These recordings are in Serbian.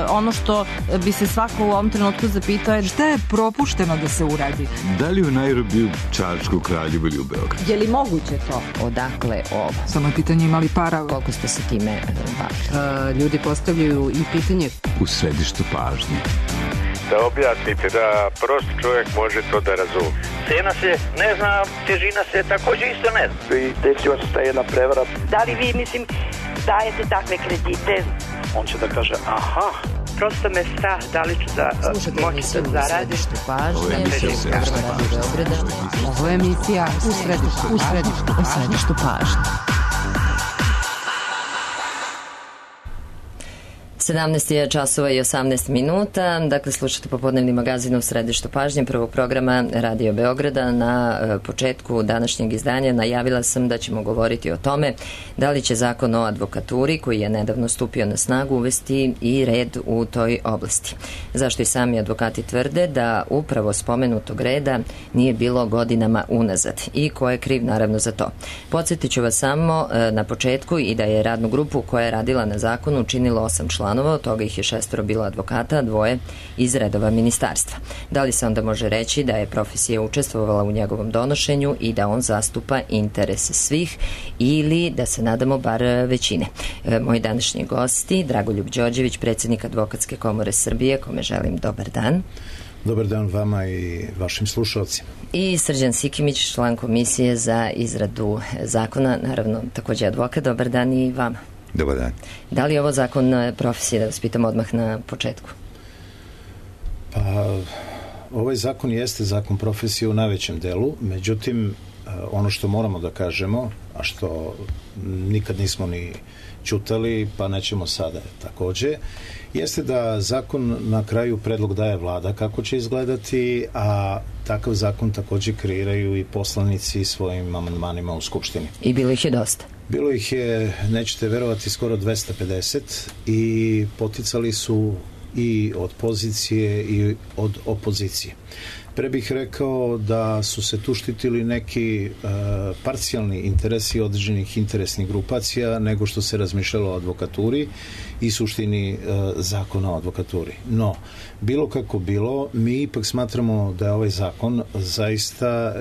ono što bi se svako u ovom trenutku zapitao je šta je propušteno da se uradi. Da li u Nairobiju, Čačku, Kraljevu ili u Beogradu? Je li moguće to? Odakle ovo? Samo je pitanje imali para. Koliko ste se time bavili? Ljudi postavljaju i pitanje. U središtu pažnje. Da objasnite, da prosti čovjek može to da razumije. Cena se ne zna, težina se također isto ne zna. I desila se ta jedna prevara. Da li vi, dajete takve kredite? On će da kaže, aha. Prosto me strah da li ću moći da zaradim. Ovo je emisija u središtu pažnje. 17 je časova i 18 minuta. Dakle, slušate popodnevni magazin u središtu pažnje prvog programa Radio Beograda. Na početku današnjeg izdanja najavila sam da ćemo govoriti o tome da li će zakon o advokaturi, koji je nedavno stupio na snagu, uvesti i red u toj oblasti. Zašto i sami advokati tvrde da upravo spomenutog reda nije bilo godinama unazad i ko je kriv naravno za to. Podsjetit ću vas samo na početku i da je radnu grupu koja je radila na zakonu činilo 8 članova, od toga ih je 6 bilo advokata, a 2 iz redova ministarstva. Da li se onda može reći da je profesija učestvovala u njegovom donošenju i da on zastupa interese svih ili da se nadamo bar većine? Moji današnji gosti, Dragoljub Đorđević, predsjednik Advokatske komore Srbije, kome želim dobar dan. Dobar dan vama i vašim slušalcima. I Srđan Sikimić, član komisije za izradu zakona, naravno također advokat. Dobar dan i vama. Dobar dan. Da li je ovo zakon profesije, da vas pitam odmah na početku? Pa, ovaj zakon jeste zakon profesije u najvećem delu, međutim, ono što moramo da kažemo, a što nikad nismo ni ćutali, pa nećemo sada također, jeste da zakon na kraju predlog daje vlada kako će izgledati, a takav zakon također kreiraju i poslanici svojim amandmanima u Skupštini. I bilo ih je dosta. Bilo ih je, nećete verovati, skoro 250 i poticali su i od pozicije i od opozicije. Pre bih rekao da su se tu štitili neki parcijalni interesi određenih interesnih grupacija nego što se razmišljalo o advokaturi i suštini zakona o advokaturi. No, bilo kako bilo, mi ipak smatramo da je ovaj zakon zaista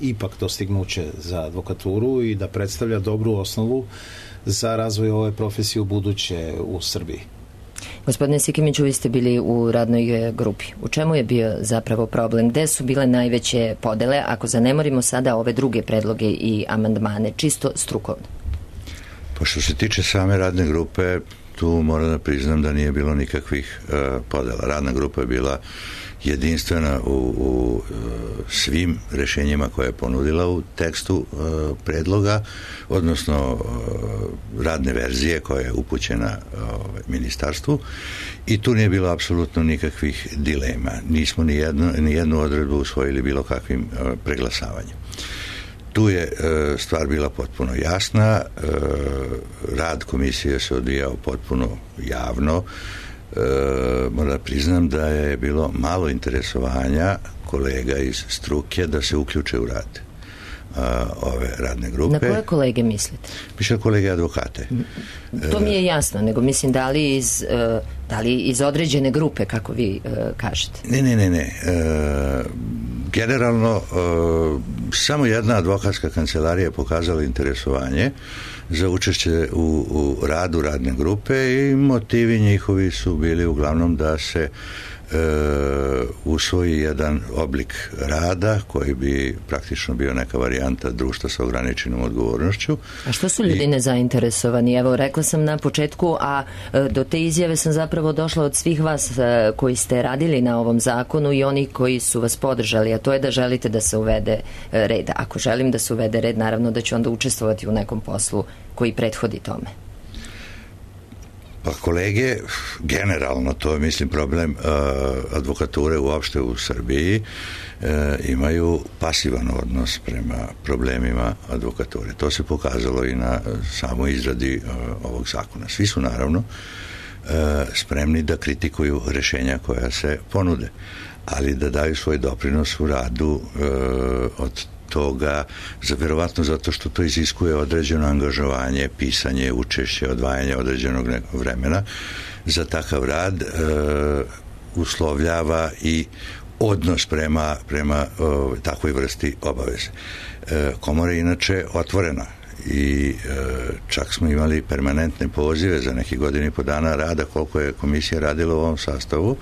ipak dostignuće za advokaturu i da predstavlja dobru osnovu za razvoj ove profesije u buduće u Srbiji. Gospodine Sikimiću, vi ste bili u radnoj grupi. U čemu je bio zapravo problem? Gde su bile najveće podele, ako zanemorimo sada ove druge predloge i amandmane, čisto strukovno? Pa što se tiče same radne grupe, tu moram da priznam da nije bilo nikakvih podela. Radna grupa je bila jedinstvena u svim rešenjima koje je ponudila u tekstu predloga, odnosno radne verzije koja je upućena ministarstvu, i tu nije bilo apsolutno nikakvih dilema. Nismo ni jednu odredbu usvojili bilo kakvim preglasavanjem. Tu je stvar bila potpuno jasna, rad komisije se odvijao potpuno javno. Moram da priznam da je bilo malo interesovanja kolega iz struke da se uključe u rad ove radne grupe. Na koje kolege mislite? Piše kolege advokate. To mi je jasno, nego mislim da li iz određene grupe, kako vi kažete? Ne. Generalno, samo jedna advokatska kancelarija je pokazala interesovanje za učešće u radu radne grupe i motivi njihovi su bili uglavnom da se usvoji jedan oblik rada koji bi praktično bio neka varijanta društva sa ograničenom odgovornošću. A što su ljudi nezainteresovani? Evo, rekla sam na početku, a do te izjave sam zapravo došla od svih vas koji ste radili na ovom zakonu i oni koji su vas podržali, a to je da želite da se uvede red. Ako želim da se uvede red, naravno da ću onda učestvovati u nekom poslu koji prethodi tome. Pa kolege, generalno, to je mislim problem advokature uopšte u Srbiji, imaju pasivan odnos prema problemima advokature. To se pokazalo i na samoj izradi ovog zakona. Svi su naravno spremni da kritikuju rešenja koja se ponude, ali da daju svoj doprinos u radu od toga, verovatno zato što to iziskuje određeno angažovanje, pisanje, učešće, odvajanje određenog vremena za takav rad, uslovljava i odnos prema takvoj vrsti obaveze. Komora je inače otvorena i čak smo imali permanentne pozive za neki godinu i po dana rada koliko je komisija radila u ovom sastavu.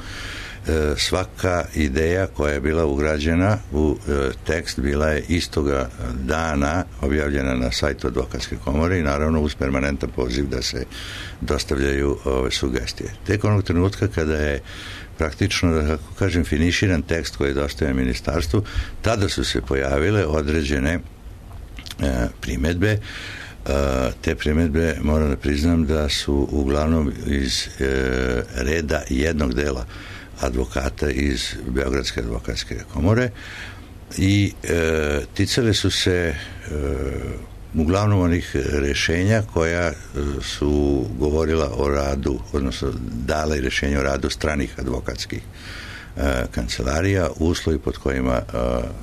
Svaka ideja koja je bila ugrađena u tekst bila je istoga dana objavljena na sajtu Advokatske komore i naravno uz permanentan poziv da se dostavljaju ove sugestije. Tek onog trenutka kada je praktično, da kako kažem, finiširan tekst koji je dostavljen ministarstvu, tada su se pojavile određene primedbe. Te primedbe, moram da priznam, da su uglavnom iz reda jednog dela advokata iz Beogradske advokatske komore i ticale su se uglavnom onih rešenja koja su govorila o radu, odnosno dala i rešenja o radu stranih advokatskih kancelarija, uslovi pod kojima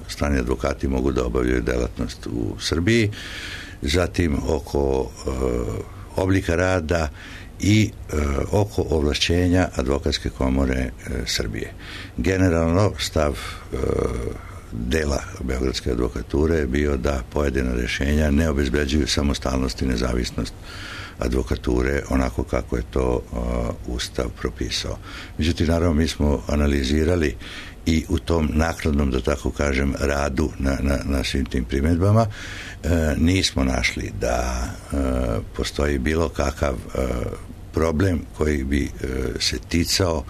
strani advokati mogu da obavljaju delatnost u Srbiji, zatim oko oblika rada i oko ovlašćenja Advokatske komore Srbije. Generalno stav dela Beogradske advokature je bio da pojedina rešenja ne obezbeđuju samostalnost i nezavisnost advokature onako kako je to Ustav propisao. Međutim, naravno, mi smo analizirali i u tom naknadnom, da tako kažem, radu na svim tim primjedbama nismo našli da postoji bilo kakav problem koji bi se ticao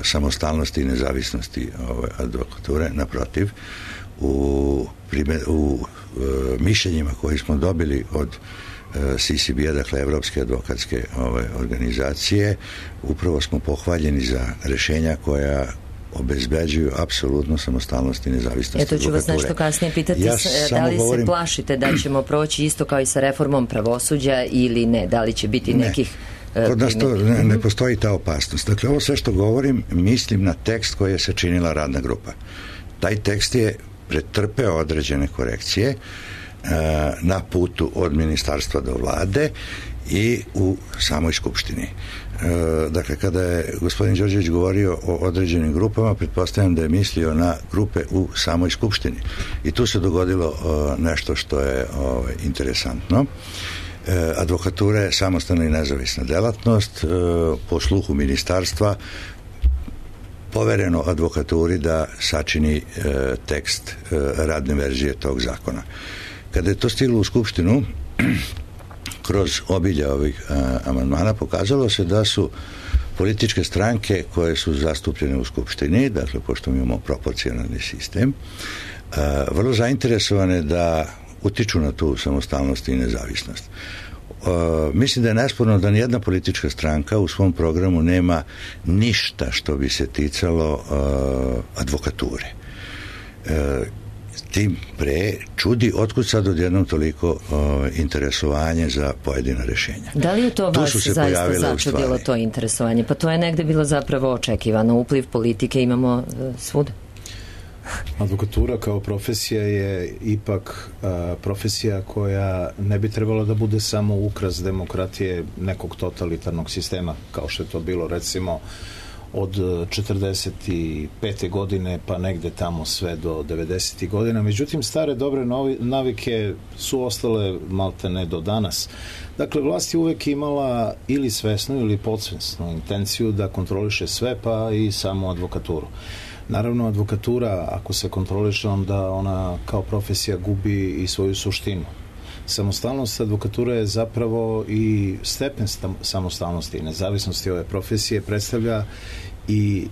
samostalnosti i nezavisnosti advokature. Naprotiv, u mišljenjima koji smo dobili od CCB-a, dakle Evropske advokatske organizacije, upravo smo pohvaljeni za rešenja koja obezbeđuju apsolutno samostalnost i nezavisnost advokature. Eto ću vas nešto kasnije pitati, da li se plašite da ćemo proći isto kao i sa reformom pravosuđa ili ne? Da li će biti nekih... Kod nas to ne postoji ta opasnost. Dakle, ovo sve što govorim, mislim na tekst koji je sačinila radna grupa. Taj tekst je pretrpeo određene korekcije na putu od ministarstva do vlade i u samoj skupštini. Dakle, kada je gospodin Đorđević govorio o određenim grupama, pretpostavljam da je mislio na grupe u samoj skupštini. I tu se dogodilo nešto što je interesantno. Advokatura je samostalna i nezavisna delatnost. Po sluhu ministarstva povereno advokaturi da sačini tekst radne verzije tog zakona. Kada je to stiglo u skupštinu, kroz obilje ovih amandmana pokazalo se da su političke stranke koje su zastupljene u skupštini, dakle, pošto mi imamo proporcionalni sistem, vrlo zainteresovane da utiču na tu samostalnost i nezavisnost. Mislim da je nesporno da nijedna politička stranka u svom programu nema ništa što bi se ticalo advokature. Tim pre čudi otkud sad odjednom toliko interesovanje za pojedina rešenja. Da li je to vas zaista začudilo to interesovanje? Pa to je negde bilo zapravo očekivano. Upliv politike imamo svuda. Advokatura kao profesija je ipak profesija koja ne bi trebala da bude samo ukras demokratije nekog totalitarnog sistema, kao što je to bilo recimo od 45. godine pa negde tamo sve do 90. godina. Međutim, stare dobre navike su ostale malte ne do danas. Dakle, vlast je uvek imala ili svesnu ili podsvesnu intenciju da kontroliše sve, pa i samo advokaturu. Naravno, advokatura, ako se kontroliše, onda ona kao profesija gubi i svoju suštinu. Samostalnost advokature je zapravo i stepen samostalnosti i nezavisnosti ove profesije predstavlja i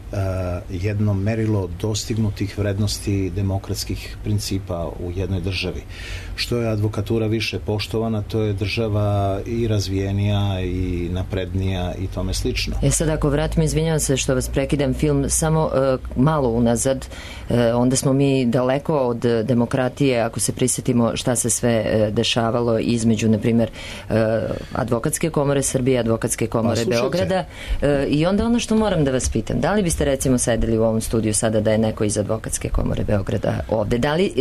jedno merilo dostignutih vrednosti demokratskih principa u jednoj državi. Što je advokatura više poštovana, to je država i razvijenija i naprednija i tome slično. Sad ako vratimo, izvinjavam se što vas prekidam, film samo malo unazad, onda smo mi daleko od demokratije, ako se prisjetimo šta se sve dešavalo između, na primjer, Advokatske komore Srbije, Advokatske komore Beograda, i onda ono što moram da vas pitam, pitam, da li biste recimo sedeli u ovom studiju sada da je neko iz Advokatske komore Beograda ovde? Da li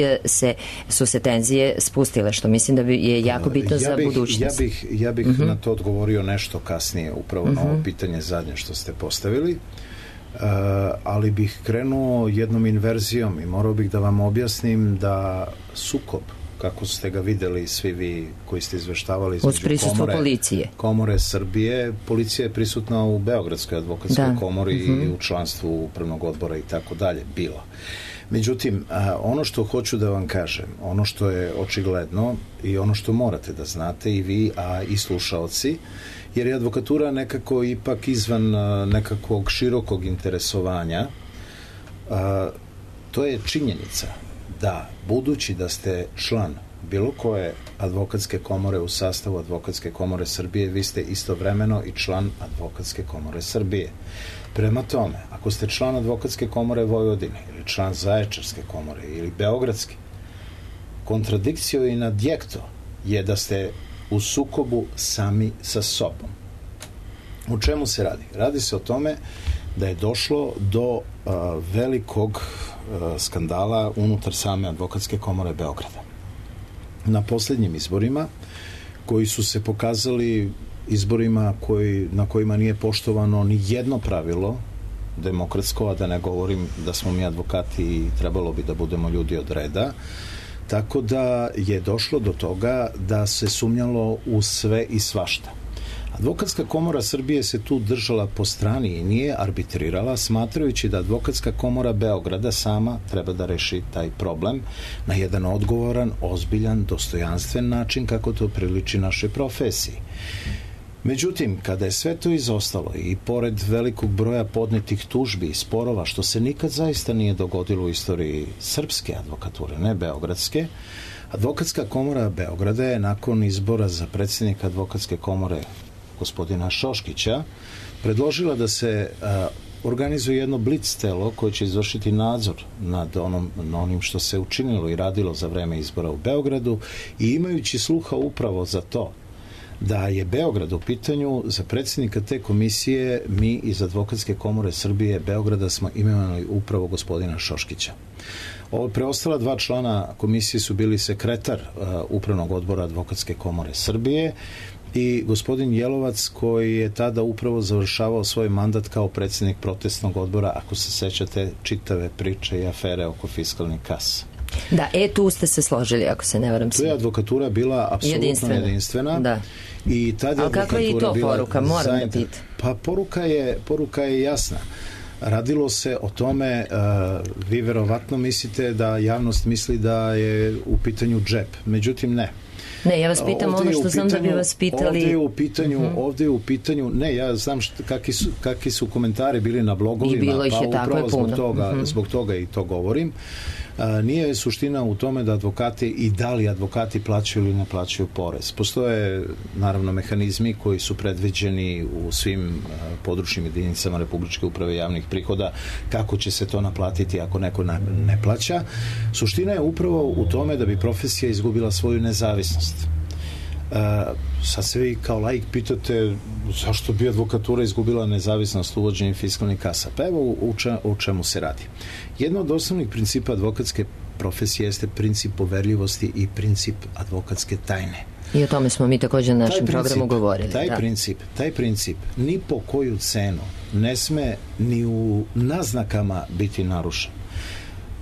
su se tenzije spustile, što mislim da je jako bitno za budućnost? Ja bih na to odgovorio nešto kasnije, upravo na ovo pitanje zadnje što ste postavili, ali bih krenuo jednom inverzijom i morao bih da vam objasnim da sukob, kako ste ga videli svi vi koji ste izveštavali između komore Srbije, policija je prisutna u Beogradskoj advokatskoj komori i u članstvu upravnog odbora i tako dalje, bila. Međutim, ono što hoću da vam kažem, ono što je očigledno i ono što morate da znate i vi, a i slušaoci, jer je advokatura nekako ipak izvan nekakvog širokog interesovanja, to je činjenica da, budući da ste član bilo koje advokatske komore u sastavu Advokatske komore Srbije, vi ste istovremeno i član Advokatske komore Srbije. Prema tome, ako ste član Advokatske komore Vojvodine ili član Zaječarske komore ili Beogradske, kontradikcio in adjekto je da ste u sukobu sami sa sobom. U čemu se radi? Radi se o tome da je došlo do velikog skandala unutar same Advokatske komore Beograda. Na posljednjim izborima, koji su se pokazali izborima na kojima nije poštovano ni jedno pravilo demokratsko, a da ne govorim da smo mi advokati i trebalo bi da budemo ljudi od reda, tako da je došlo do toga da se sumnjalo u sve i svašta. Advokatska komora Srbije se tu držala po strani i nije arbitrirala, smatrajući da Advokatska komora Beograda sama treba da reši taj problem na jedan odgovoran, ozbiljan, dostojanstven način kako to priliči našoj profesiji. Međutim, kada je sve to izostalo i pored velikog broja podnetih tužbi i sporova, što se nikad zaista nije dogodilo u istoriji srpske advokature, ne beogradske, Advokatska komora Beograda je nakon izbora za predsjednika Advokatske komore gospodina Šoškića predložila da se organizuje jedno blic telo koje će izvršiti nadzor nad onim što se učinilo i radilo za vreme izbora u Beogradu i imajući sluha upravo za to da je Beograd u pitanju, za predsjednika te komisije mi iz Advokatske komore Srbije Beograda smo imenovali upravo gospodina Šoškića. Preostala dva člana komisije su bili sekretar upravnog odbora Advokatske komore Srbije i gospodin Jelovac, koji je tada upravo završavao svoj mandat kao predsjednik protestnog odbora, ako se sećate čitave priče i afere oko fiskalnih kasa. Da, tu ste se složili, ako se ne varam. Tu je advokatura bila apsolutno jedinstvena. Da. I tad je ali kakva je i to poruka, moram da pitam? Pa poruka je jasna. Radilo se o tome, vi verovatno mislite da javnost misli da je u pitanju džep, međutim ne. Ne, ja vas pitam ono što znam da bi vas pitali. Ovdje je u pitanju, ne, ja znam kakvi su komentari bili na blogovima, i bilo ih je tako je puno. Zbog toga i to govorim. Nije suština u tome da advokati i da li advokati plaćaju ili ne plaćaju porez. Postoje naravno mehanizmi koji su predviđeni u svim područnim jedinicama Republičke uprave javnih prihoda kako će se to naplatiti ako neko ne plaća. Suština je upravo u tome da bi profesija izgubila svoju nezavisnost. Sad se vi kao laik pitate zašto bi advokatura izgubila nezavisnost uvođenjem fiskalnih kasa. Pa evo u čemu se radi. Jedno od osnovnih principa advokatske profesije jeste princip poverljivosti i princip advokatske tajne. I o tome smo mi također na našem programu govorili. Taj princip ni po koju cenu ne sme ni u naznakama biti narušen.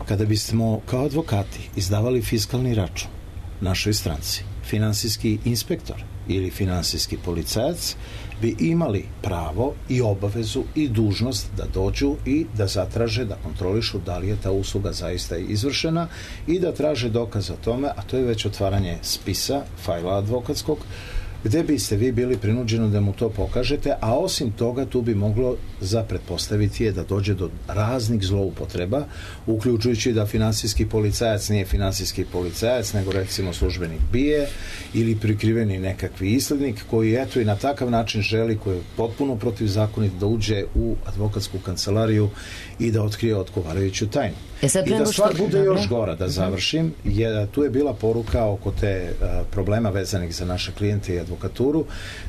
Kada bismo kao advokati izdavali fiskalni račun našoj stranci, finansijski inspektor ili finansijski policajac bi imali pravo i obavezu i dužnost da dođu i da zatraže, da kontrolišu da li je ta usluga zaista izvršena i da traže dokaz o tome, a to je već otvaranje spisa, fajla advokatskog, gde biste vi bili prinuđeni da mu to pokažete, a osim toga tu bi moglo za pretpostaviti je da dođe do raznih zloupotreba, uključujući da finansijski policajac nije finansijski policajac, nego recimo službenik BIA ili prikriveni nekakvi islednik koji eto i na takav način želi, koji je potpuno protivzakonit, da uđe u advokatsku kancelariju i da otkrije odgovarajuću tajnu. I da stvar bude još gora, da završim, tu je bila poruka oko te problema vezanih za naše klijente i advokaturu,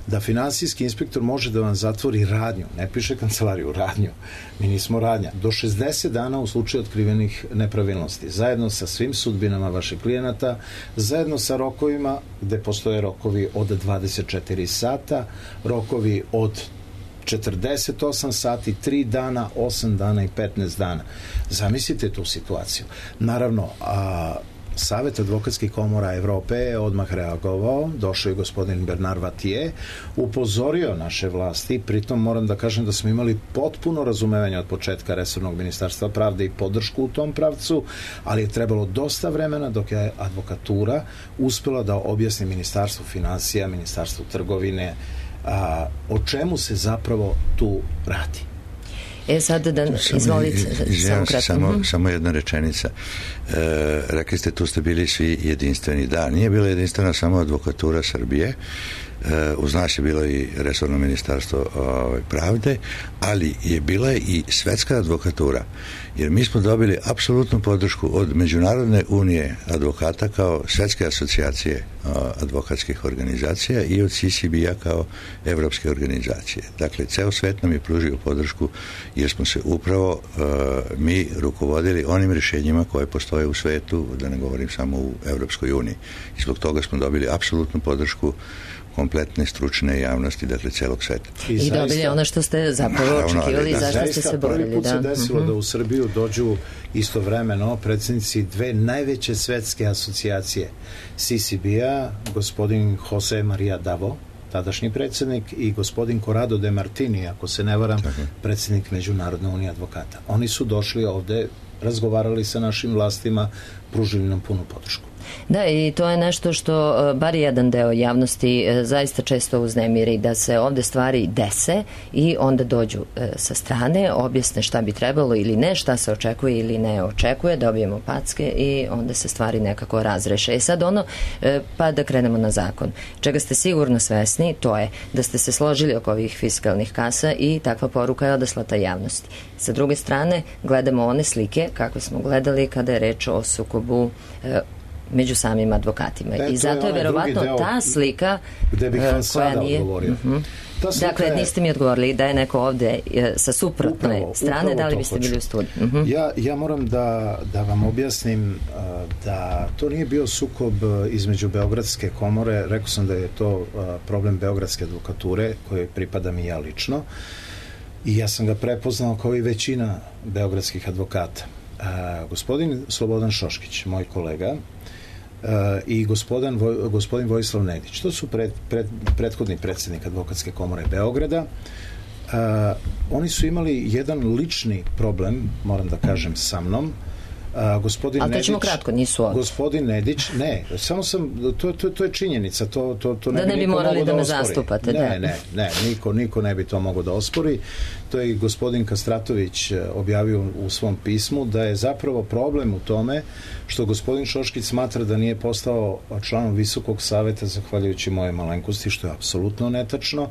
da finansijski inspektor može da vam zatvori radnju, ne piše kancelariju, radnju, mi nismo radnja, do 60 dana u slučaju otkrivenih nepravilnosti, zajedno sa svim sudbinama vaših klijenata, zajedno sa rokovima, gde postoje rokovi od 24 sata, rokovi od 48 sati, 3 dana, 8 dana i 15 dana. Zamislite tu situaciju. Naravno, Savet advokatskih komora Evrope je odmah reagovao, došao je gospodin Bernard Vatije, upozorio naše vlasti, pritom moram da kažem da smo imali potpuno razumevanje od početka resornog ministarstva pravde i podršku u tom pravcu, ali je trebalo dosta vremena dok je advokatura uspela da objasni ministarstvu finansija, ministarstvu trgovine, o čemu se zapravo tu radi. Sad da izvolite samo jedna rečenica. Rekli ste, tu ste bili svi jedinstveni. Da, nije bila jedinstvena samo advokatura Srbije, uz nas je bilo i resorno ministarstvo pravde, ali je bila i svetska advokatura, jer mi smo dobili apsolutnu podršku od Međunarodne unije advokata kao svetske asocijacije advokatskih organizacija i od CCB-a kao evropske organizacije. Dakle, ceo svet nam je pružio podršku jer smo se upravo mi rukovodili onim rješenjima koje postoje u svetu, da ne govorim samo u Evropskoj uniji. I zbog toga smo dobili apsolutnu podršku kompletne stručne javnosti, dakle celog sveta. I dobili ono što ste zapravo očekivali i zašto ste se borili. Prvi put se desilo da u Srbiju dođu istovremeno predsjednici dve najveće svetske asocijacije CCB-a, gospodin Jose Maria Davo, tadašnji predsjednik, i gospodin Corrado de Martini, ako se ne varam, predsjednik Međunarodne unije advokata. Oni su došli ovde, razgovarali sa našim vlastima, pružili nam punu podršku. Da, i to je nešto što bar jedan deo javnosti zaista često uznemiri, da se ovde stvari dese i onda dođu sa strane, objasne šta bi trebalo ili ne, šta se očekuje ili ne očekuje, dobijemo packe i onda se stvari nekako razreše. Sad pa da krenemo na zakon. Čega ste sigurno svesni, to je da ste se složili oko ovih fiskalnih kasa i takva poruka je odaslata javnosti. Sa druge strane, gledamo one slike kako smo gledali kada je reč o sukobu među samim advokatima. I zato je verovatno ta slika koja nije... Dakle, niste mi odgovorili da je neko ovde sa suprotne strane, da li biste bili u studiju? Ja moram da vam objasnim da to nije bio sukob između Beogradske komore, rekao sam da je to problem Beogradske advokature, koje pripadam i ja lično, i ja sam ga prepoznao kao i većina beogradskih advokata. Gospodin Slobodan Šoškić, moj kolega, i gospodin Vojislav Nedić, to su prethodni predsjednik Advokatske komore Beograda. Oni su imali jedan lični problem, moram da kažem, sa mnom. Ali to ćemo kratko, nisu ovdje. Gospodin Nedić, ne, samo sam, to je činjenica, to ne bi morali da me zastupate. Ne, niko ne bi to mogao da ospori. To je i gospodin Kastratović objavio u svom pismu, da je zapravo problem u tome što gospodin Šoškić smatra da nije postao članom Visokog saveta zahvaljujući moje malenkosti, što je apsolutno netačno.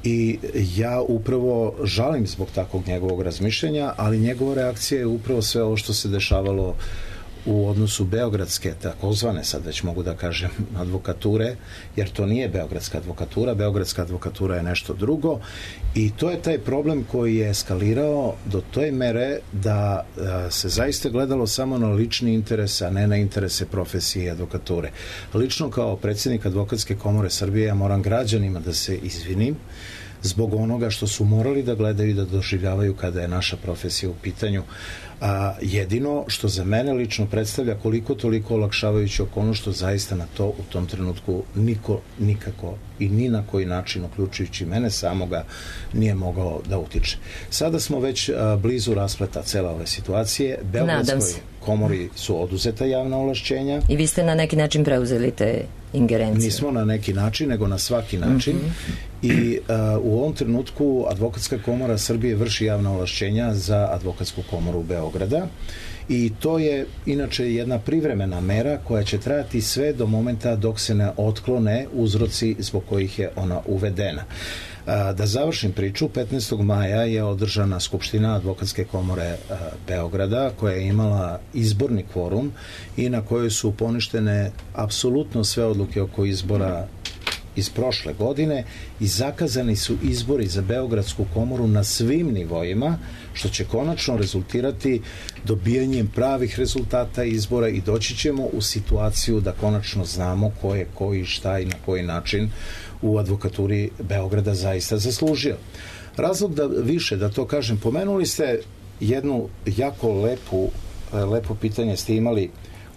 I ja upravo žalim zbog takvog njegovog razmišljenja, ali njegova reakcija je upravo sve ovo što se dešavalo u odnosu beogradske, takozvane, sad već mogu da kažem, advokature, jer to nije beogradska advokatura je nešto drugo, i to je taj problem koji je eskalirao do toj mere da se zaista gledalo samo na lični interes, a ne na interese profesije i advokature. Lično kao predsjednik Advokatske komore Srbije ja moram građanima da se izvinim zbog onoga što su morali da gledaju i da doživljavaju kada je naša profesija u pitanju. Jedino što za mene lično predstavlja koliko toliko olakšavajući okolnost, što zaista na to u tom trenutku niko nikako i ni na koji način, uključujući mene samoga, nije mogao da utiče. Sada smo već blizu raspleta cele ove situacije. Beogradskoj komori su oduzeta javna ovlašćenja. I vi ste na neki način preuzeli te ingerencije? Nismo na neki način, nego na svaki način. I u ovom trenutku Advokatska komora Srbije vrši javna ovlašćenja za Advokatsku komoru Beograda, i to je inače jedna privremena mera koja će trajati sve do momenta dok se ne otklone uzroci zbog kojih je ona uvedena. Da završim priču, 15. maja je održana Skupština Advokatske komore Beograda, koja je imala izborni kvorum i na kojoj su poništene apsolutno sve odluke oko izbora iz prošle godine i zakazani su izbori za Beogradsku komoru na svim nivoima, što će konačno rezultirati dobijanjem pravih rezultata izbora i doći ćemo u situaciju da konačno znamo ko je koji, šta i na koji način u advokaturi Beograda zaista zaslužio. Razlog da to kažem, pomenuli ste jednu jako lepo pitanje ste imali,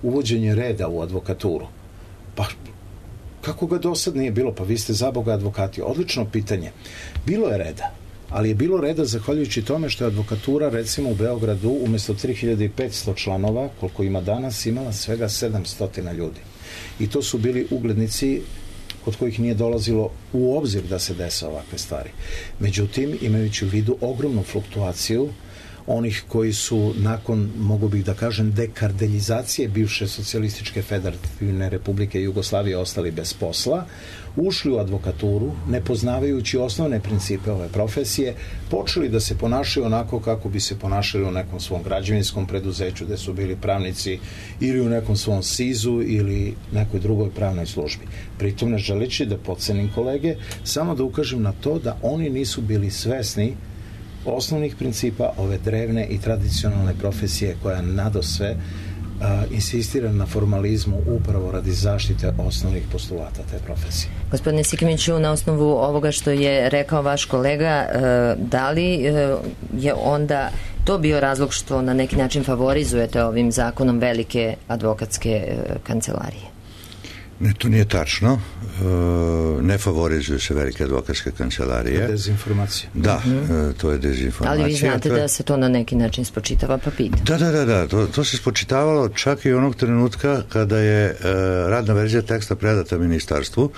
uvođenje reda u advokaturu. Pa kako ga do sad nije bilo? Pa vi ste za Boga advokati. Odlično pitanje. Bilo je reda, ali je bilo reda zahvaljujući tome što je advokatura recimo u Beogradu umjesto 3500 članova, koliko ima danas, imala svega 700 ljudi. I to su bili uglednici kod kojih nije dolazilo u obzir da se dese ovakve stvari. Međutim, imajući u vidu ogromnu fluktuaciju onih koji su nakon, mogu bih da kažem, dekardeljizacije bivše socijalističke federativne republike Jugoslavije ostali bez posla, ušli u advokaturu, ne poznavajući osnovne principe ove profesije, počeli da se ponašaju onako kako bi se ponašali u nekom svom građevinskom preduzeću gde su bili pravnici ili u nekom svom SIZ-u ili nekoj drugoj pravnoj službi. Pritom ne želeći da podcenim kolege, samo da ukažem na to da oni nisu bili svesni osnovnih principa ove drevne i tradicionalne profesije koja nadosve insistira na formalizmu upravo radi zaštite osnovnih postulata te profesije. Gospodine Sikimiću, na osnovu ovoga što je rekao vaš kolega, da li je onda to bio razlog što na neki način favorizujete ovim zakonom velike advokatske kancelarije? Ne, to nije tačno. Ne favorizuju se velike advokatske kancelarije. To je dezinformacija. Da, to je dezinformacija. Ali vi znate da se to na neki način spočitava, pa pita. Da. To se spočitavalo čak i onog trenutka kada je radna verzija teksta predata ministarstvu.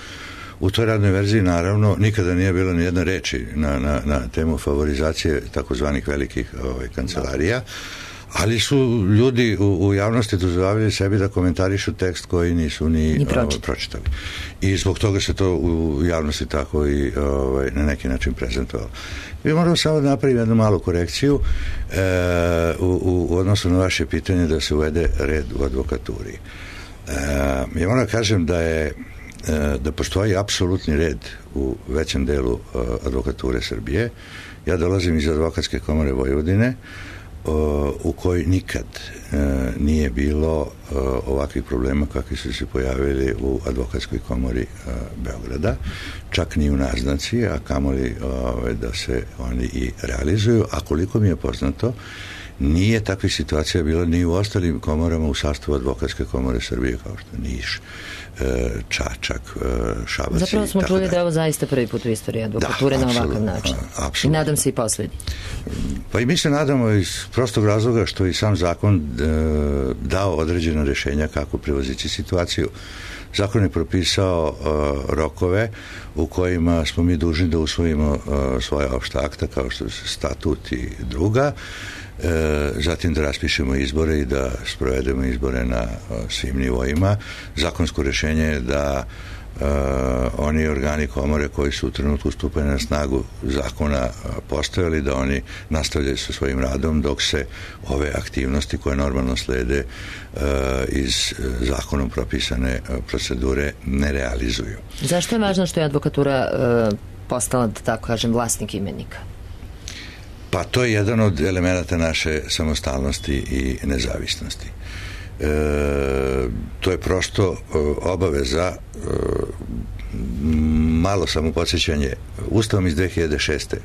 U toj radnoj verziji, naravno, nikada nije bilo ni jedne reči na temu favorizacije takozvanih velikih kancelarija. Ali su ljudi u javnosti dozvoljavali sebi da komentarišu tekst koji nisu ni pročitali. I zbog toga se to u javnosti tako i na neki način prezentovalo. Mi moramo samo da napravimo jednu malu korekciju u odnosu na vaše pitanje da se uvede red u advokaturi. Ja moram da kažem da postoji apsolutni red u većem delu advokature Srbije. Ja dolazim iz Advokatske komore Vojvodine, u kojoj nikad nije bilo ovakvih problema kakvi su se pojavili u Advokatskoj komori Beograda, čak ni u naznaci, a kamoli da se oni i realizuju, a koliko mi je poznato, nije takvih situacija bilo ni u ostalim komorama u sastavu Advokatske komore Srbije, kao što Niš, Čačak, Šabac. Zapravo smo čuli da je ovo zaista prvi put u istoriji advokature na ovakav način. I nadam se i poslednji. Pa i mi se nadamo iz prostog razloga što i sam zakon dao određena rešenja kako prevozići situaciju. Zakon je propisao rokove u kojima smo mi dužni da usvojimo svoja opšta akta kao što su statut i druga, zatim da raspišemo izbore i da sprovedemo izbore na svim nivoima. Zakonsko rešenje je da oni organi komore koji su u trenutku stupanja na snagu zakona postojali, da oni nastavljaju sa svojim radom dok se ove aktivnosti koje normalno slede iz zakonom propisane procedure ne realizuju. Zašto je važno što je advokatura postala, da tako kažem, vlasnik imenika? Pa to je jedan od elemenata naše samostalnosti i nezavisnosti. To je prosto obaveza, malo samo podsjećanje, Ustavom iz 2006.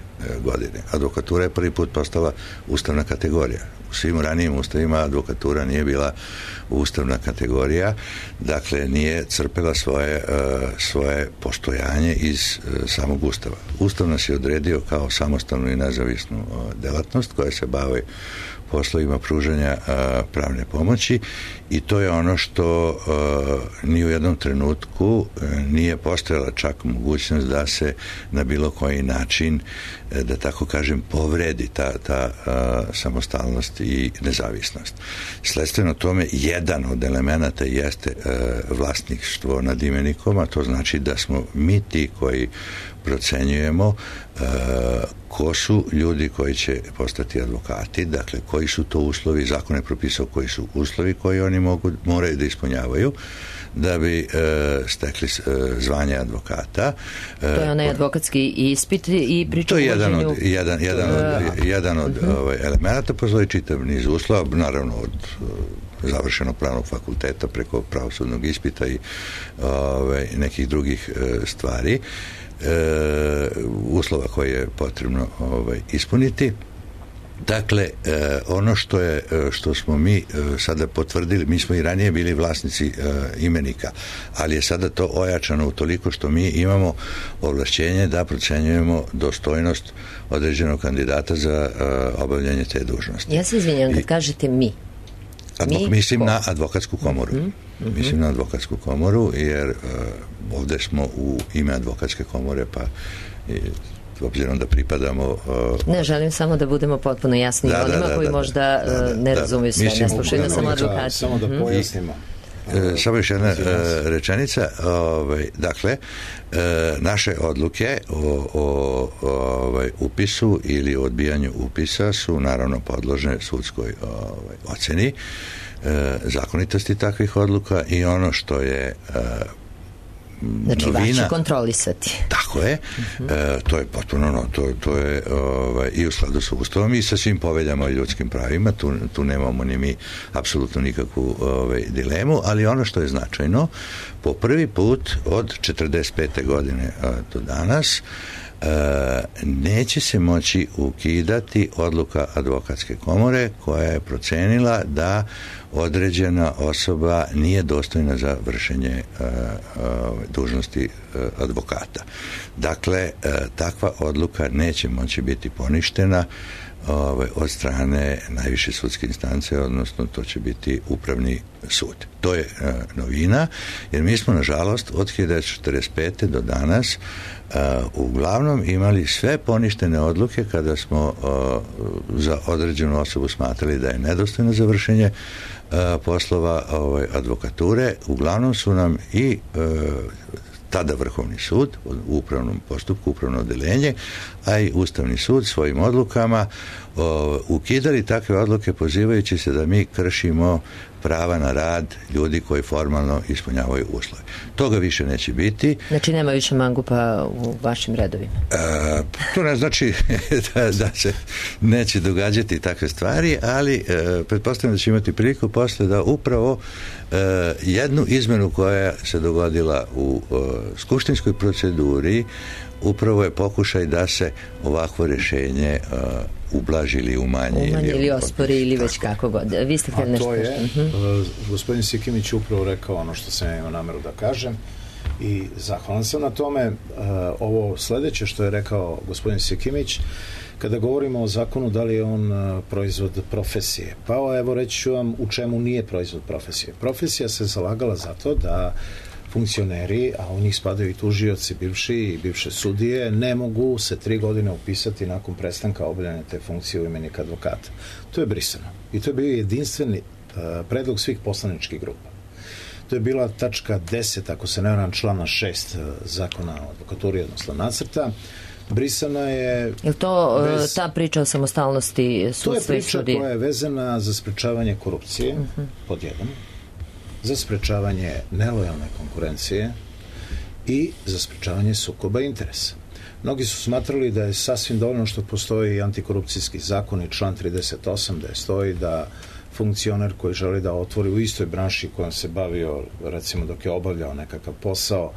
godine advokatura je prvi put postala ustavna kategorija. U svim ranijim ustavima advokatura nije bila ustavna kategorija, dakle nije crpela svoje postojanje iz samog Ustava. Ustav nas je odredio kao samostalnu i nezavisnu delatnost koja se bavi poslovima pružanja pravne pomoći i to je ono što ni u jednom trenutku nije postojala čak mogućnost mogućnost da se na bilo koji način, da tako kažem, povredi ta samostalnost i nezavisnost. Sledstveno tome, jedan od elemenata jeste vlasništvo nad imenikom, a to znači da smo mi ti koji procenjujemo ko su ljudi koji će postati advokati, dakle koji su to uslovi, zakon je propisao koji su uslovi koji oni moraju da ispunjavaju da bi stekli zvanje advokata. To je onaj advokatski ispit i priča o vođenju. To je jedan od elemenata, postoji čitav niz uslova, naravno od završenog pravnog fakulteta preko pravosudnog ispita i nekih drugih stvari, uslova koje je potrebno ispuniti. Dakle, ono što smo mi sada potvrdili, mi smo i ranije bili vlasnici imenika, ali je sada to ojačano utoliko što mi imamo ovlašćenje da procenjujemo dostojnost određenog kandidata za obavljanje te dužnosti. Ja se izvinjam kad kažete mi. Mislim na advokatsku komoru. Mislim na advokatsku komoru, jer ovde smo u ime advokatske komore, pa obzirom da pripadamo... Ne, želim samo da budemo potpuno jasni onima koji možda ne razumiju sve, ne slušaju da samo advokati. Samo da pojasnimo. Samo još jedna rečenica. Dakle, naše odluke o upisu ili odbijanju upisa su naravno podložne sudskoj oceni zakonitosti takvih odluka i ono što je znači novina, vaši kontrolisati. Tako je. To je potpuno to je i u skladu sa Ustavom i sa svim poveljama o ljudskim pravima. Tu nemamo ni mi apsolutno nikakvu dilemu, ali ono što je značajno, po prvi put od 45. godine do danas neće se moći ukidati odluka advokatske komore koja je procenila da određena osoba nije dostojna za vršenje dužnosti advokata. Dakle, takva odluka neće moći biti poništena od strane najviše sudske instance, odnosno to će biti upravni sud. To je novina, jer mi smo, nažalost, od 1945. do danas uglavnom imali sve poništene odluke kada smo za određenu osobu smatrali da je nedostojno za vršenje poslova advokature. Uglavnom su nam i tada Vrhovni sud u upravnom postupku, upravno odeljenje, a i Ustavni sud svojim odlukama ukidali takve odluke pozivajući se da mi kršimo prava na rad ljudi koji formalno ispunjavaju uslove. Toga više neće biti. Znači nema više mangupa u vašim redovima? To ne znači da se neće događati takve stvari, ali pretpostavljam da će imati priliku posle da upravo jednu izmenu koja se dogodila u skupštinskoj proceduri upravo je pokušaj da se ovakvo rješenje ublaži ili umanji ili ospori ili već kako god. Vi ste htjeli nešto. A to je, gospodin Sikimić upravo rekao ono što sam imao nameru da kažem i zahvalan sam na tome. Ovo sledeće što je rekao gospodin Sikimić, kada govorimo o zakonu, da li je on proizvod profesije? Pa evo reći ću vam u čemu nije proizvod profesije. Profesija se zalagala za to da funkcioneri, a u njih spadaju i tužioci bivši i bivše sudije, ne mogu se 3 godine upisati nakon prestanka obavljanja te funkcije u imenik advokata. To je brisano. I to je bio jedinstveni predlog svih poslaničkih grupa. To je bila tačka 10, ako se ne varam, člana 6 zakona o advokaturi, odnosno nacrta. Brisana je... Je to ta priča o samostalnosti sudstva i sudije? To je priča koja je vezana za sprečavanje korupcije, pod jedan, za sprečavanje nelojalne konkurencije i za sprečavanje sukoba interesa. Mnogi su smatrali da je sasvim dovoljno što postoji antikorupcijski zakon i član 38, da je stoji da funkcioner koji želi da otvori u istoj branši kojom se bavio, recimo dok je obavljao nekakav posao,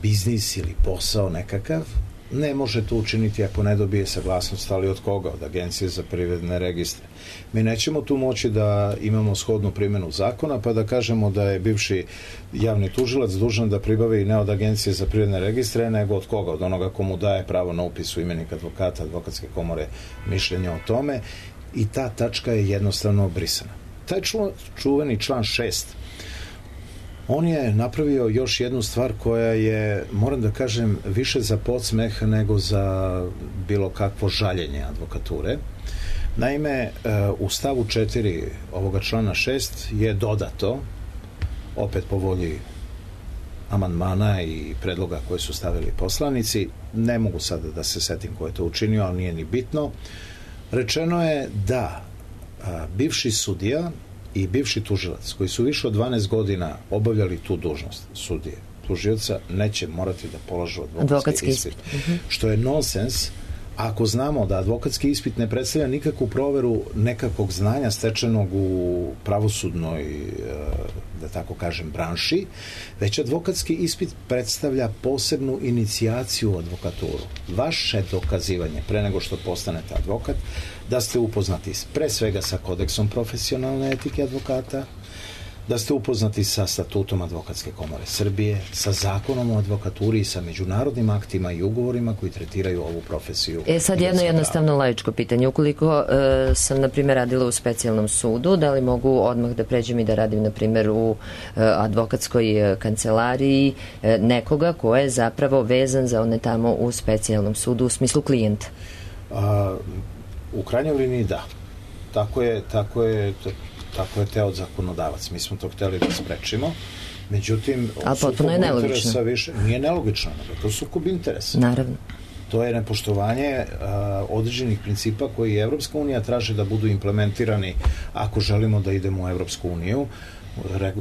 biznis ili posao nekakav, ne može to učiniti ako ne dobije saglasnost, ali od koga? Od Agencije za privredne registre. Mi nećemo tu moći da imamo shodnu primjenu zakona, pa da kažemo da je bivši javni tužilac dužan da pribavi ne od Agencije za privredne registre, nego od koga? Od onoga komu daje pravo na upis u imenik advokata, advokatske komore, mišljenja o tome, i ta tačka je jednostavno obrisana. Taj čuveni član 6 On je napravio još jednu stvar koja je, moram da kažem, više za podsmeh nego za bilo kakvo žaljenje advokature. Naime, u stavu 4 ovoga člana 6 je dodato, opet po volji amandmana i predloga koje su stavili poslanici, ne mogu sada da se setim ko je to učinio, ali nije ni bitno. Rečeno je da bivši sudija i bivši tužilac koji su više od 12 godina obavljali tu dužnost sudije, tužioca, neće morati da polažu advokatski ispit. Što je nonsens ako znamo da advokatski ispit ne predstavlja nikakvu proveru nekakvog znanja stečenog u pravosudnoj, da tako kažem, branši, već advokatski ispit predstavlja posebnu inicijaciju u advokaturu. Vaše dokazivanje pre nego što postanete advokat, da ste upoznati pre svega sa kodeksom profesionalne etike advokata, da ste upoznati sa statutom Advokatske komore Srbije, sa zakonom o advokaturi i sa međunarodnim aktima i ugovorima koji tretiraju ovu profesiju. Sad jedno jednostavno laičko pitanje. Ukoliko sam, na primjer, radila u specijalnom sudu, da li mogu odmah da pređem i da radim, na primjer, u advokatskoj kancelariji nekoga ko je zapravo vezan za one tamo u specijalnom sudu u smislu klijenta? U krajnjoj liniji da. Tako je teo zakonodavac. Mi smo to hteli da sprečimo. Međutim, potpuno je nelogično. Nije nelogično, nego to je sukob interesa. Naravno. To je nepoštovanje određenih principa koji Evropska unija traže da budu implementirani ako želimo da idemo u Evropsku uniju.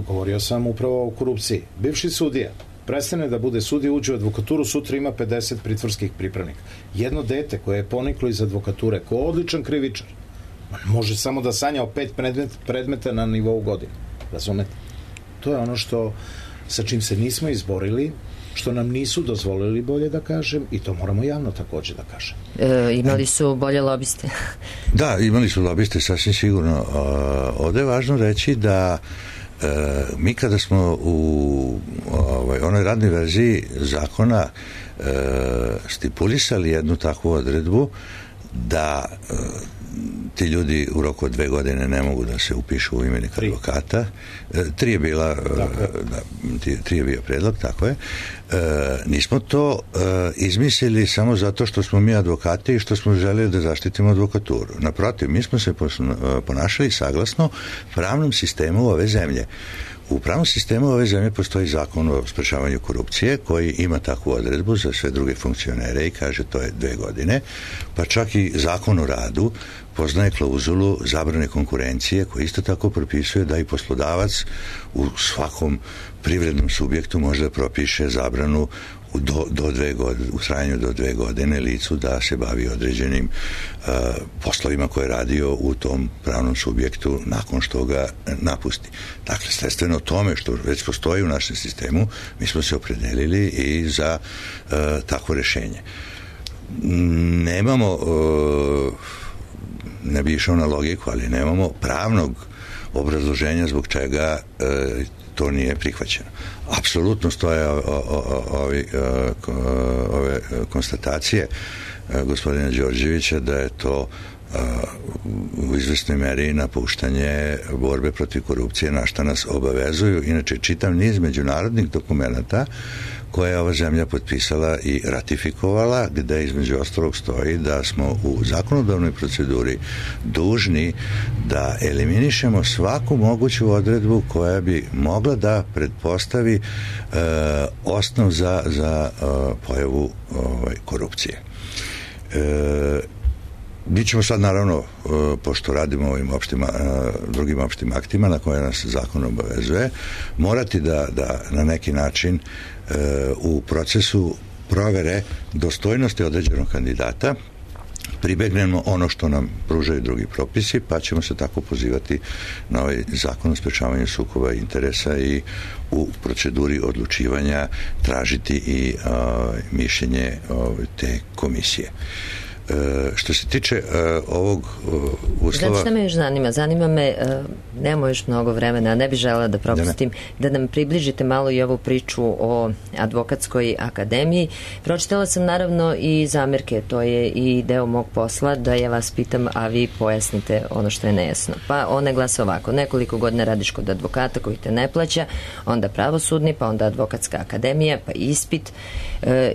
Govorio sam upravo o korupciji. Bivši sudija prestane da bude sudija, uđe u advokaturu, sutra ima 50 pritvorskih pripravnika. Jedno dete koje je poniklo iz advokature, ko odličan krivičar, može samo da sanja o 5 predmeta na nivou godine. Razumete? To je ono sa čim se nismo izborili, što nam nisu dozvolili, bolje da kažem, i to moramo javno takođe da kažem. Imali su bolje lobiste? Da, imali su lobiste, sasvim sigurno. Ovde je važno reći da mi kada smo u onoj radnoj verziji zakona stipulisali jednu takvu odredbu da ti ljudi u roku od 2 godine ne mogu da se upišu u imenik advokata. 3 je bila, 3 je bio predlog, tako je. Nismo to izmislili samo zato što smo mi advokati i što smo želeli da zaštitimo advokaturu. Naprotiv, mi smo se ponašali saglasno pravnom sistemu ove zemlje. U pravnom sistemu ove zemlje postoji zakon o sprečavanju korupcije koji ima takvu odredbu za sve druge funkcionere i kaže to je 2 godine, pa čak i zakon o radu poznaje klauzulu zabrane konkurencije koji isto tako propisuje da i poslodavac u svakom privrednom subjektu može da propiše zabranu u trajanju do 2 godine licu da se bavi određenim poslovima koje je radio u tom pravnom subjektu nakon što ga napusti. Dakle, sledstveno tome što već postoji u našem sistemu, mi smo se opredelili i za takvo rešenje. Nemamo, ne bi išao na logiku, ali nemamo pravnog obrazloženja zbog čega to nije prihvaćeno. Apsolutno stoje ove konstatacije gospodina Đorđevića da je to u izvesnoj meri napuštanje borbe protiv korupcije, na šta nas obavezuju. Inače, čitav niz međunarodnih dokumenata koje je ova zemlja potpisala i ratifikovala, gde između ostalog stoji da smo u zakonodavnoj proceduri dužni da eliminišemo svaku moguću odredbu koja bi mogla da pretpostavi osnov za pojavu korupcije. Mi ćemo sad, naravno, pošto radimo ovim drugim opštim aktima na koje nas zakon obavezuje, morati da na neki način u procesu provere dostojnosti određenog kandidata pribegnemo ono što nam pružaju drugi propisi, pa ćemo se tako pozivati na ovaj zakon o sprečavanju sukoba interesa i u proceduri odlučivanja tražiti i mišljenje te komisije. Što se tiče ovog uslova... Znači, šta me još zanima? Zanima me, nemamo još mnogo vremena, a ne bi želela da propustim, da nam približite malo i ovu priču o Advokatskoj akademiji. Pročitala sam naravno i zamerke, to je i deo mog posla, da ja vas pitam, a vi pojasnite ono što je nejasno. Pa one glase ovako: nekoliko godina radiš kod advokata koji te ne plaća, onda pravosudni, pa onda Advokatska akademija, pa ispit,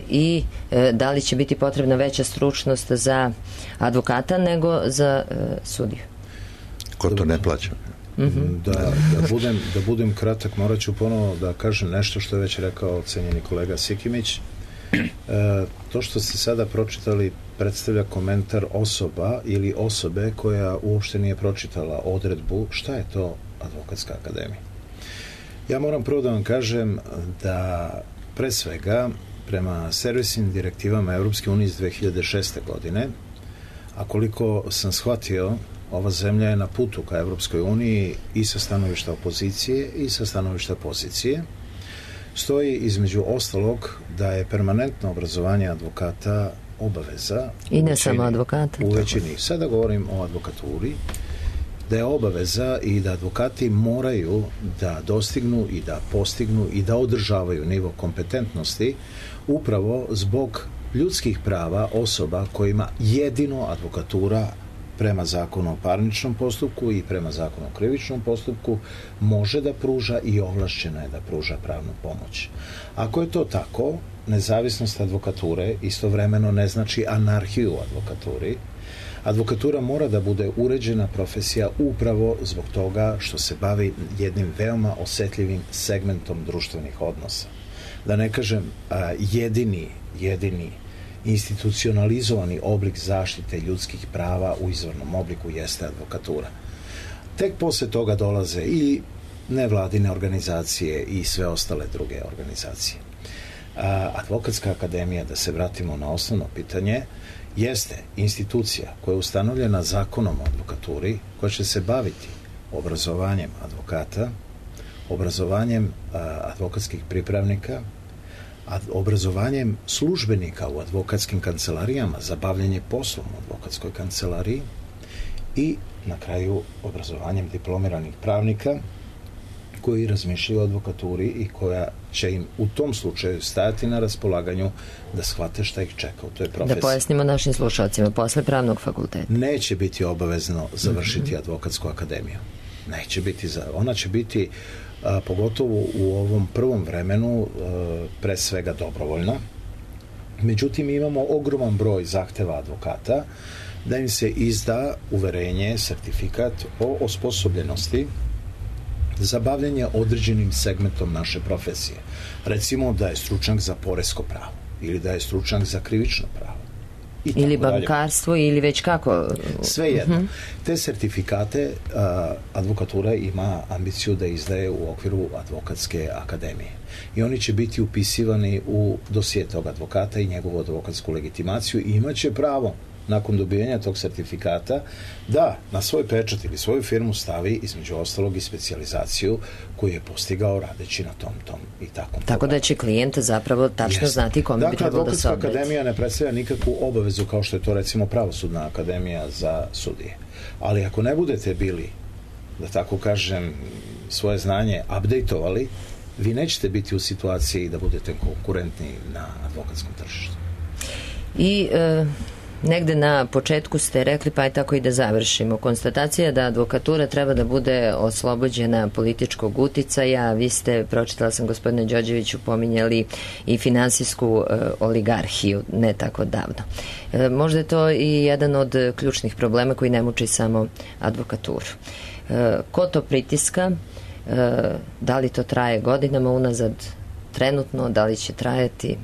i da li će biti potrebna veća stručnost za advokata nego za sudiju? Ko to ne plaća? Da budem kratak, morat ću ponovo da kažem nešto što je već rekao cenjeni kolega Sikimić. To što ste sada pročitali predstavlja komentar osoba ili osobe koja uopšte nije pročitala odredbu šta je to Advokatska akademija. Ja moram prvo da vam kažem da pre svega prema servisnim direktivama Europske unije iz 2006. godine, a koliko sam shvatio, ova zemlja je na putu ka Europskoj uniji i sa stanovišta opozicije i sa stanovišta pozicije, stoji između ostalog da je permanentno obrazovanje advokata obaveza. I ne samo advokata. U većini. Sada govorim o advokaturi, da je obaveza i da advokati moraju da dostignu i da postignu i da održavaju nivo kompetentnosti upravo zbog ljudskih prava osoba kojima jedino advokatura prema zakonu o parničnom postupku i prema zakonu o krivičnom postupku može da pruža i ovlašćena je da pruža pravnu pomoć. Ako je to tako, nezavisnost advokature istovremeno ne znači anarhiju u advokaturi. Advokatura mora da bude uređena profesija upravo zbog toga što se bavi jednim veoma osetljivim segmentom društvenih odnosa. Da ne kažem jedini institucionalizovani oblik zaštite ljudskih prava u izvornom obliku jeste advokatura. Tek posle toga dolaze i nevladine organizacije i sve ostale druge organizacije. Advokatska akademija, da se vratimo na osnovno pitanje, jeste institucija koja je ustanovljena zakonom o advokaturi, koja će se baviti obrazovanjem advokata, obrazovanjem advokatskih pripravnika, obrazovanjem službenika u advokatskim kancelarijama za bavljenje poslom u advokatskoj kancelariji i na kraju obrazovanjem diplomiranih pravnika koji razmišljaju o advokaturi i koja će im u tom slučaju stajati na raspolaganju da shvate šta ih čeka u toj profesiji. Da pojasnimo našim slušalcima, posle pravnog fakulteta. Neće biti obavezno završiti advokatsku akademiju. Neće biti, ona će biti pogotovo u ovom prvom vremenu pre svega dobrovoljna. Međutim, imamo ogroman broj zahteva advokata da im se izda uverenje, sertifikat o osposobljenosti za bavljanje određenim segmentom naše profesije. Recimo da je stručnjak za poresko pravo ili da je stručnjak za krivično pravo. Ili bankarstvo ili već kako? Sve jedno. Te sertifikate advokatura ima ambiciju da izdaje u okviru Advokatske akademije. I oni će biti upisivani u dosije tog advokata i njegovu advokatsku legitimaciju i imaće pravo nakon dobijanja tog sertifikata da na svoj pečat ili svoju firmu stavi između ostalog i specijalizaciju koju je postigao radeći na tom i takvom. Tako da će klijent zapravo tačno znati kome bi trebalo da se obrati. Advokatska akademija ne predstavlja nikakvu obavezu kao što je to recimo Pravosudna akademija za sudije. Ali ako ne budete bili, da tako kažem, svoje znanje updateovali, vi nećete biti u situaciji da budete konkurentni na advokatskom tržištu. I negde na početku ste rekli, pa je tako i da završimo. Konstatacija da advokatura treba da bude oslobođena političkog uticaja. Vi ste, pročitala sam gospodine Đorđeviću, pominjali i finansijsku oligarhiju ne tako davno. Možda je to i jedan od ključnih problema koji ne muči samo advokaturu. Ko to pritiska? Da li to traje godinama unazad trenutno? Da li će trajati?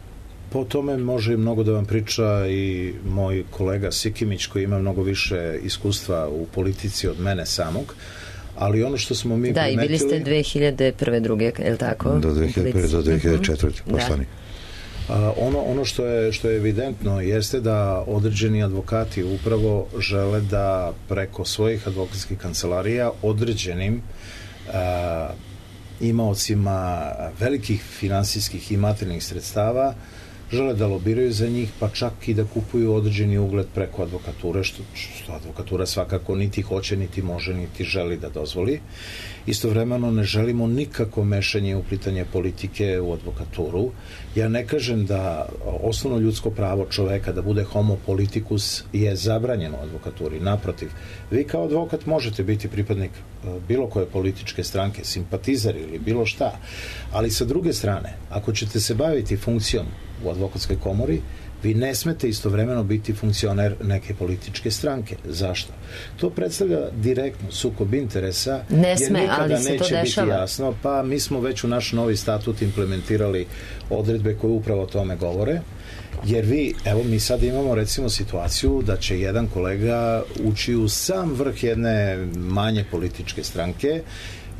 Po tome može i mnogo da vam priča i moj kolega Sikimić koji ima mnogo više iskustva u politici od mene samog, ali ono što smo mi primetili... Da, i bili ste 2001. druge, je li tako? Do 2001. do 2004. poslanik. Ono što je evidentno jeste da određeni advokati upravo žele da preko svojih advokatskih kancelarija određenim imaocima velikih finansijskih i materijalnih sredstava žele da lobiraju za njih, pa čak i da kupuju određeni ugled preko advokature, što advokatura svakako niti hoće, niti može, niti želi da dozvoli. Istovremeno ne želimo nikako mešanje i uplitanje politike u advokaturu. Ja ne kažem da osnovno ljudsko pravo čoveka da bude homo politikus je zabranjeno u advokaturi. Naprotiv, vi kao advokat možete biti pripadnik bilo koje političke stranke, simpatizer ili bilo šta, ali sa druge strane, ako ćete se baviti funkcijom u advokatskoj komori, vi ne smete istovremeno biti funkcioner neke političke stranke. Zašto? To predstavlja direktno sukob interesa, ne sme, jer nikada ali se neće to dešava. biti jasno, pa mi smo već u naš novi statut implementirali odredbe koje upravo o tome govore, jer mi sad imamo recimo situaciju da će jedan kolega ući u sam vrh jedne manje političke stranke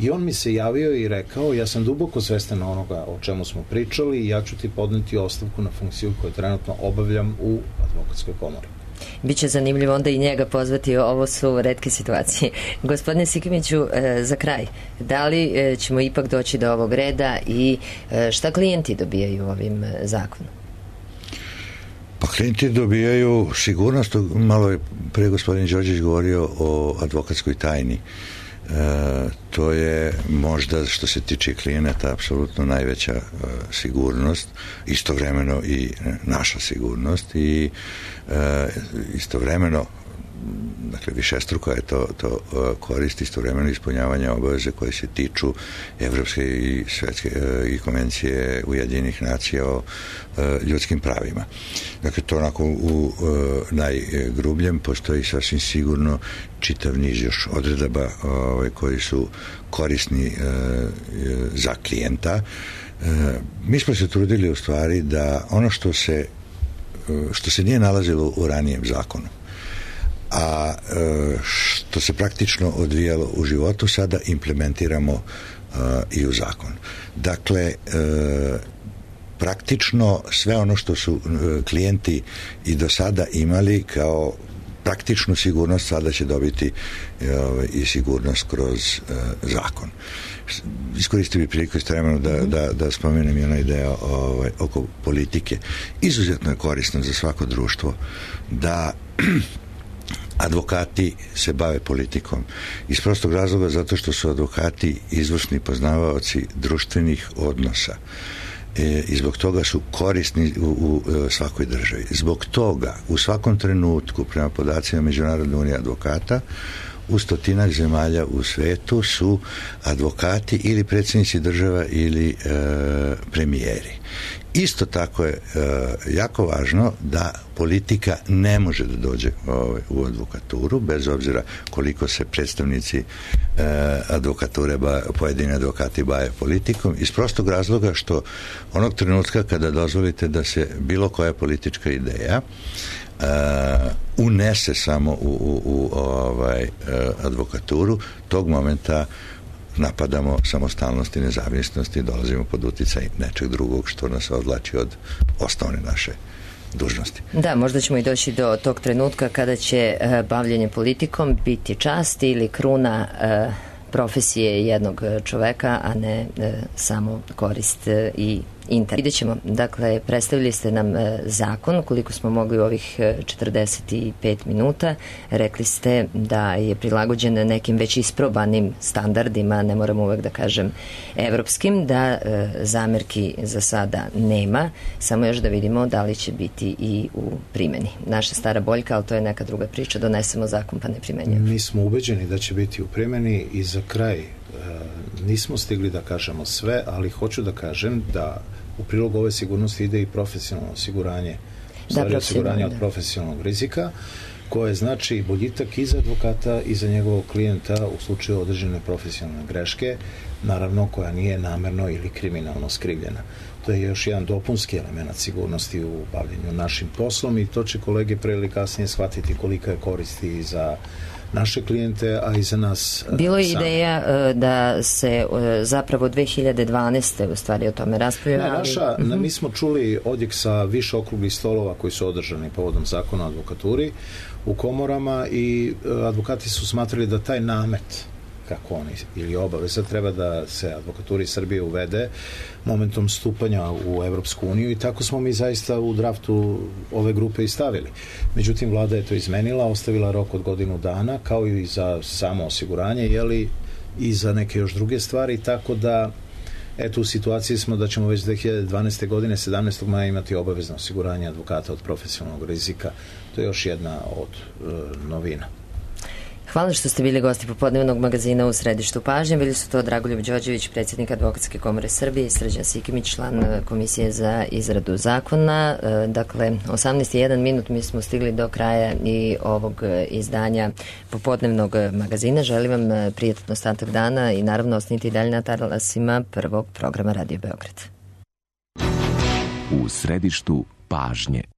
i on mi se javio i rekao, ja sam duboko svestan onoga o čemu smo pričali i ja ću ti podneti ostavku na funkciju koju trenutno obavljam u advokatskoj komori. Biće zanimljivo onda i njega pozvati, ovo su retke situacije. Gospodine Sikimiću, za kraj, da li ćemo ipak doći do ovog reda i šta klijenti dobijaju ovim zakonom? Pa klijenti dobijaju sigurnost, malo je pre gospodin Đorđević govorio o advokatskoj tajni. To je možda što se tiče klijenata apsolutno najveća sigurnost, istovremeno i naša sigurnost i istovremeno, dakle višestruko je to koristi, istovremeno ispunjavanja obaveze koje se tiču evropske i svetske i konvencije Ujedinjenih nacija o ljudskim pravima. Dakle, to onako u najgrubljem postoji sasvim sigurno čitav niz još odredaba koji su korisni za klijenta. Mi smo se trudili u stvari da ono što se nije nalazilo u ranijem zakonu, a što se praktično odvijalo u životu, sada implementiramo i u zakon. Dakle, praktično sve ono što su klijenti i do sada imali kao praktičnu sigurnost, sada će dobiti i sigurnost kroz zakon. Iskoristio bih priliku istovremeno da spomenem i onaj deo oko politike. Izuzetno je korisno za svako društvo da advokati se bave politikom. Iz prostog razloga zato što su advokati izvršni poznavaoci društvenih odnosa. I zbog toga su korisni u svakoj državi. Zbog toga u svakom trenutku prema podacima Međunarodne unije advokata u 100 zemalja u svetu su advokati ili predsjednici država ili premijeri. Isto tako je jako važno da politika ne može da dođe u advokaturu, bez obzira koliko se predstavnici advokature, pojedini advokati bave politikom, iz prostog razloga što onog trenutka kada dozvolite da se bilo koja politička ideja unese samo u advokaturu, tog momenta napadamo samostalnost i nezavisnost i dolazimo pod uticaj nečeg drugog što nas odvlači od osnovne naše dužnosti. Da, možda ćemo i doći do tog trenutka kada će bavljenje politikom biti čast ili kruna profesije jednog čoveka, a ne samo korist i interes. Vidjet ćemo, dakle, predstavili ste nam zakon, koliko smo mogli u ovih 45 minuta. Rekli ste da je prilagođen nekim već isprobanim standardima, ne moram uvek da kažem evropskim, da zamerki za sada nema, samo još da vidimo da li će biti i u primjeni. Naša stara boljka, ali to je neka druga priča, donesemo zakon pa ne primenjujemo. Mi smo ubeđeni da će biti u primjeni i za kraj nismo stigli da kažemo sve, ali hoću da kažem da u prilog ove sigurnosti ide i profesionalno osiguranje, osiguranje od profesionalnog rizika, koje znači boljitak i za advokata i za njegovog klijenta u slučaju određene profesionalne greške, naravno koja nije namerno ili kriminalno skrivljena. To je još jedan dopunski element sigurnosti u bavljenju našim poslom i to će kolege pre ili kasnije shvatiti kolika je koristi i za naše klijente, a i za nas. Bilo je ideja da se zapravo 2012. u stvari o tome raspravlja. Mi smo čuli odjek sa više okruglih stolova koji su održani povodom zakona o advokaturi u komorama i advokati su smatrali da taj namet kako oni, ili obaveza, treba da se advokaturi Srbije uvede momentom stupanja u Evropsku uniju i tako smo mi zaista u draftu ove grupe i stavili. Međutim, vlada je to izmenila, ostavila rok od godinu dana, kao i za samo osiguranje, i za neke još druge stvari, tako da eto, u situaciji smo da ćemo već 2012. godine 17. maja imati obavezno osiguranje advokata od profesionalnog rizika. To je još jedna od novina. Hvala što ste bili gosti popodnevnog magazina u središtu pažnje. Bili su to Dragoljub Đorđević, predsjednik Advokatske komore Srbije, i Srđan Sikimić, član Komisije za izradu zakona. Dakle, 18:01 minut, mi smo stigli do kraja i ovog izdanja popodnevnog magazina. Želim vam prijatan ostatak dana i naravno ostanite i dalje na talasima prvog programa Radio Beograd. U središtu pažnje.